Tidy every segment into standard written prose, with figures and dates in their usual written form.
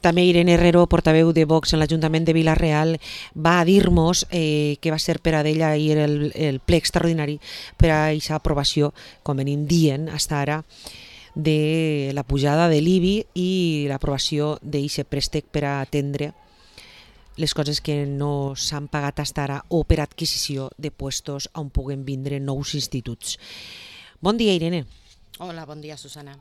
També Irene Herrero, portaveu de Vox en l'Ajuntament de Vila-real, va a dir-nos que va ser per a d'ella ahir el ple extraordinari per a aquesta aprovació, com venim dient fins ara, de la pujada de l'IBI i l'aprovació d'aquest préstec per a atendre les coses que no s'han pagat fins ara o per adquisició de puestos on puguen vindre nous instituts. Bon dia, Irene. Hola, bon dia, Susana.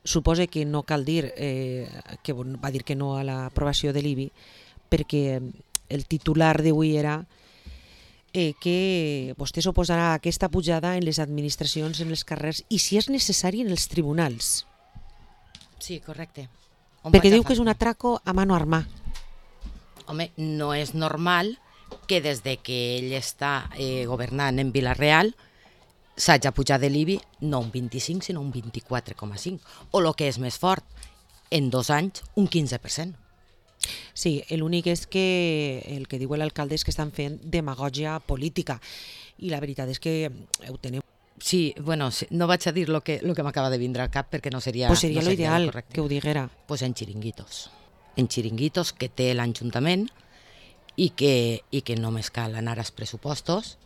Suposa que no cal dir que va dir que no a l'aprovació de l'IBI, perquè el titular d'avui era que vostè s'oposarà a aquesta pujada en les administracions, en els carrers i, si és necessari, en els tribunals. Sí, correcte. Perquè diu que és un atraco a mano armada. Home, no és normal que des de que ell està governant en Vila-real s'hagi pujat de l'IBI no un 25, sinó un 24,5. O el que és més fort, en 2 anys, un 15%. Sí, l'únic és que el que diu l'alcalde és que estan fent demagògia política i la veritat és que ho tenen. Sí, bueno, no vaig a dir el que m'acaba de vindre al cap perquè no seria... Pues seria l'ideal que ho diguera. Pues en xiringuitos. En xiringuitos que té l'Ajuntament i que només cal anar als pressupostos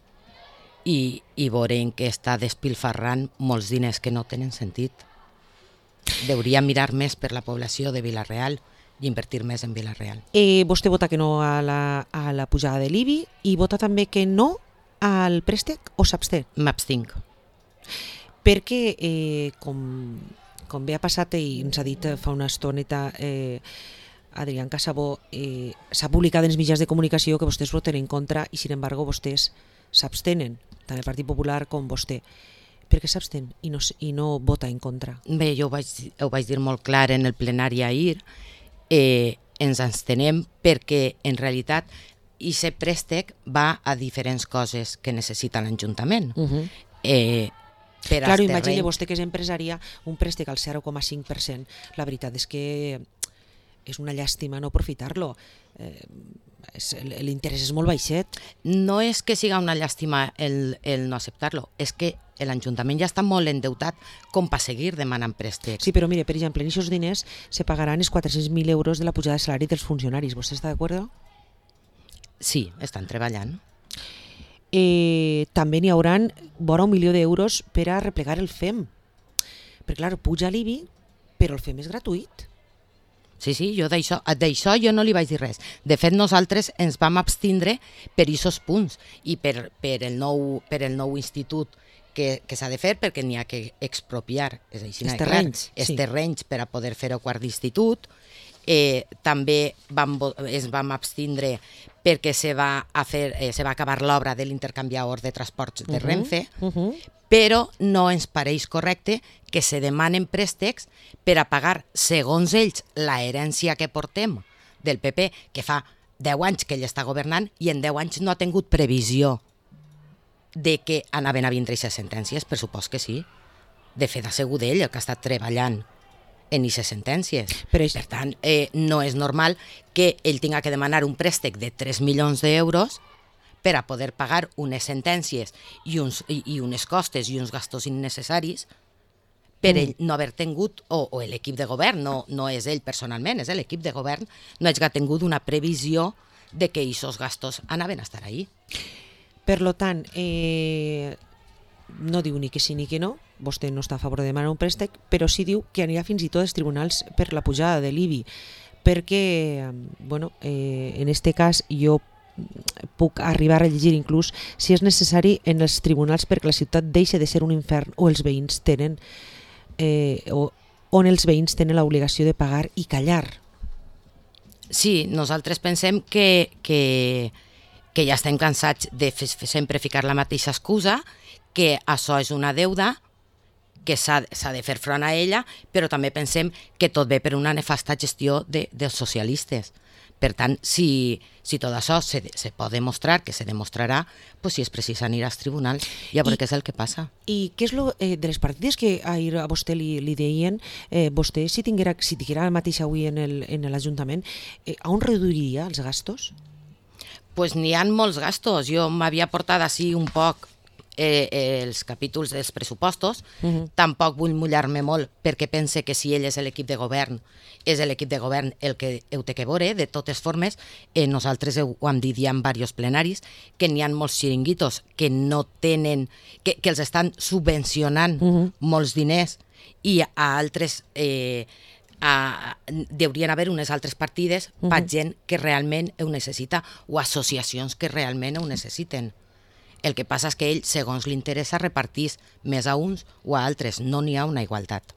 i veurem que està despilfarrant molts diners que no tenen sentit. Deuria mirar més per la població de Vila-real i invertir més en Vila-real. Vostè vota que no a la pujada de l'IBI i vota també que no al préstec o s'absté? M'abstinc. Perquè, com bé ha passat i ens ha dit fa una estoneta Adrián Casabó, s'ha publicat en els mitjans de comunicació que vostès voten en contra i, sin embargo, vostès s'abstenen, tant el Partit Popular com vostè. Per què s'abstén i no vota en contra? Bé, jo ho vaig dir molt clar en el plenari ahir. Ens abstenem perquè, en realitat, aquest préstec va a diferents coses que necessita l'Ajuntament. Claro, imagina vostè que és empresària, un préstec al 0,5%. La veritat és que és una llàstima no aprofitar-lo. L'interès és molt baixet. No és que siga una llàstima el no acceptar-lo, és que l'Ajuntament ja està molt endeutat com per seguir demanant préstecs. Sí, però mire, per exemple, en aquests diners se pagaran els 400.000 euros de la pujada de salari dels funcionaris. ¿Vostè està d'acord? Sí, estan treballant. També n'hi hauran vora 1 milió d'euros per a replegar el FEM. Perquè, clar, puja l'IBI, però el FEM és gratuït. Sí, jo d'això jo no li vaig dir res. De fet, nosaltres ens vam abstindre per aquests punts i per el nou institut que s'ha de fer, perquè n'hi ha que expropiar els terrenys per a poder fer el quart d'institut. També ens vam abstindre perquè se va acabar l'obra de l'intercanviador de transports de Renfe, però no ens pareix correcte que se demanen préstecs per a pagar, segons ells, la herència que portem del PP, que fa 10 anys que ell està governant i en 10 anys no ha tingut previsió de que anaven a vindre aquestes sentències. Per supost que sí. De fet, ha sigut ell el que ha estat treballant en aquestes sentències. Per tant, no és normal que ell tinga que demanar un préstec de 3 milions d'euros per a poder pagar unes sentències i unes costes i uns gastos innecessaris per ell no haver tingut, o l'equip de govern, no és ell personalment, és l'equip de govern, no hagi tingut una previsió de que aquests gastos anaven a estar ahí. Per tant, no diu ni que sí ni que no, vostè no està a favor de demanar un préstec, però sí diu que anirà fins i tot als tribunals per la pujada de l'IBI, perquè, en aquest cas jo puc arribar a llegir inclús si és necessari en els tribunals perquè la ciutat deixa de ser un infern o els veïns tenen on els veïns tenen l'obligació de pagar i callar. Sí, nosaltres pensem que ja estem cansats de sempre ficar la mateixa excusa, que això és una deuda, que s'ha de fer front a ella, però també pensem que tot ve per una nefasta gestió dels socialistes. Per tant, si tot això se pot demostrar, que se demostrarà, si és precís anirà als tribunals, ja veurem què és el que passa. I què és de les partides que ahir a vostè li deien, vostè si tinguera el mateix avui en l'Ajuntament, on reduiria els gastos? Pues n'hi ha molts gastos. Jo m'havia portat així un poc els capítols dels pressupostos. Tampoc vull mullar-me molt perquè pense que si ell és l'equip de govern, és l'equip de govern el que ho té que veure. De totes formes, nosaltres ho hem dit ja en diversos plenaris, que n'hi ha molts xiringuitos que no tenen, que els estan subvencionant molts diners, i a altres deurien haver unes altres partides per gent que realment ho necessita, o associacions que realment ho necessiten. El que passa és que ell, segons li interessa, repartís més a uns o a altres. No n'hi ha una igualtat.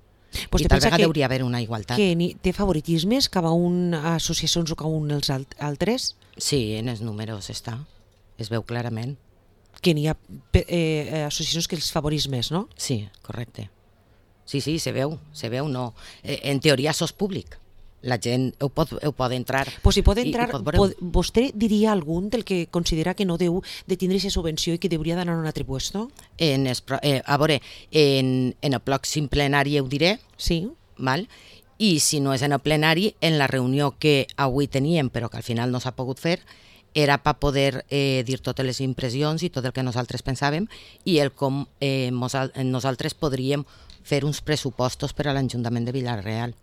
Pues I tal vegada hauria d'haver una igualtat. Que té favoritismes cap a unes associacions o cap a uns altres? Sí, en els números està. Es veu clarament. Que n'hi ha associacions que els favorís més, no? Sí, correcte. Sí, se veu, no. En teoria això és públic. La gent ho pot entrar. Pues si pot entrar, vostè diria algun del que considera que no deu de tindre aquesta subvenció i que hauria d'anar a un altre puesto? A veure, en el pròxim plenari ho diré, sí. Val? I si no és en el plenari, en la reunió que avui teníem, però que al final no s'ha pogut fer, era per poder dir totes les impressions i tot el que nosaltres pensàvem i el com nosaltres podríem fer uns pressupostos per a l'Ajuntament de Vila-real.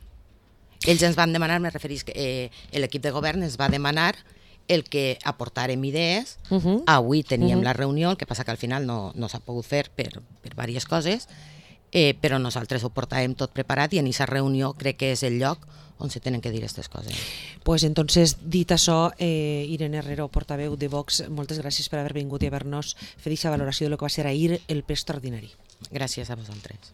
Ells ens van demanar, me referís, l'equip de govern ens va demanar el que aportàrem idees. Avui teníem la reunió, el que passa que al final no s'ha pogut fer per diverses coses, però nosaltres ho portàvem tot preparat i en aquesta reunió crec que és el lloc on se tenen que dir aquestes coses. Pues entonces, dit això, Irene Herrero, portaveu de Vox, moltes gràcies per haver vingut i haver-nos fet aquesta valoració de lo que va ser ahir el ple extraordinari. Gràcies a vosaltres.